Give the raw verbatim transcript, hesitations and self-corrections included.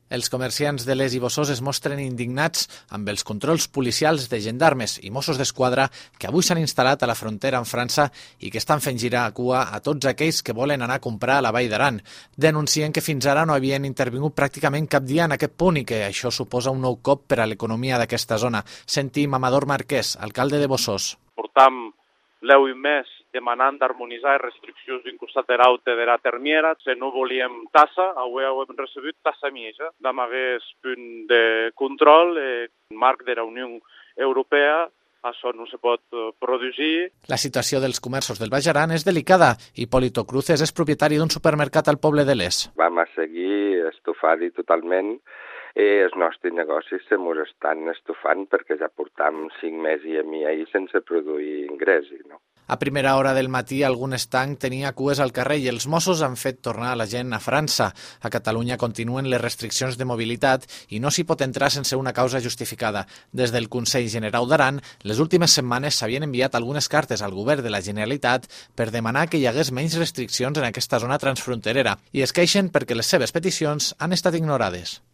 Els comerciants de Les i Bossòst es mostren indignats amb els controls policials de gendarmes i Mossos d'Esquadra que avui s'han instal·lat a la frontera amb França i que estan fent girar a cua a tots aquells que volen anar a comprar a la Vall d'Aran. Denuncien que fins ara no havien intervingut pràcticament cap dia en aquest punt i que això suposa un nou cop per a l'economia d'aquesta zona. Sentim Amador Marquès, alcalde de Bossòst. Portam l'eu i més demanant d'harmonitzar les restriccions d'un costat de l'altre de la termiera. Si no volíem tassa, avui hem rebut tassa mitja. Demà hagués punt de control, eh, marc de la Unió Europea, això no se pot produir. La situació dels comerços del Baix Aran és delicada. Hipólito Cruces és propietari d'un supermercat al poble de Les. Vam a seguir estofant totalment. Eh, els nostres negocis se mos estan estofant perquè ja portam cinc mesos i a mi ahir sense produir ingressos, no? A primera hora del matí algun estanc tenia cues al carrer i els Mossos han fet tornar la gent a França. A Catalunya continuen les restriccions de mobilitat i no s'hi pot entrar sense una causa justificada. Des del Consell Generau d'Aran, les últimes setmanes s'havien enviat algunes cartes al govern de la Generalitat per demanar que hi hagués menys restriccions en aquesta zona transfronterera i es queixen perquè les seves peticions han estat ignorades.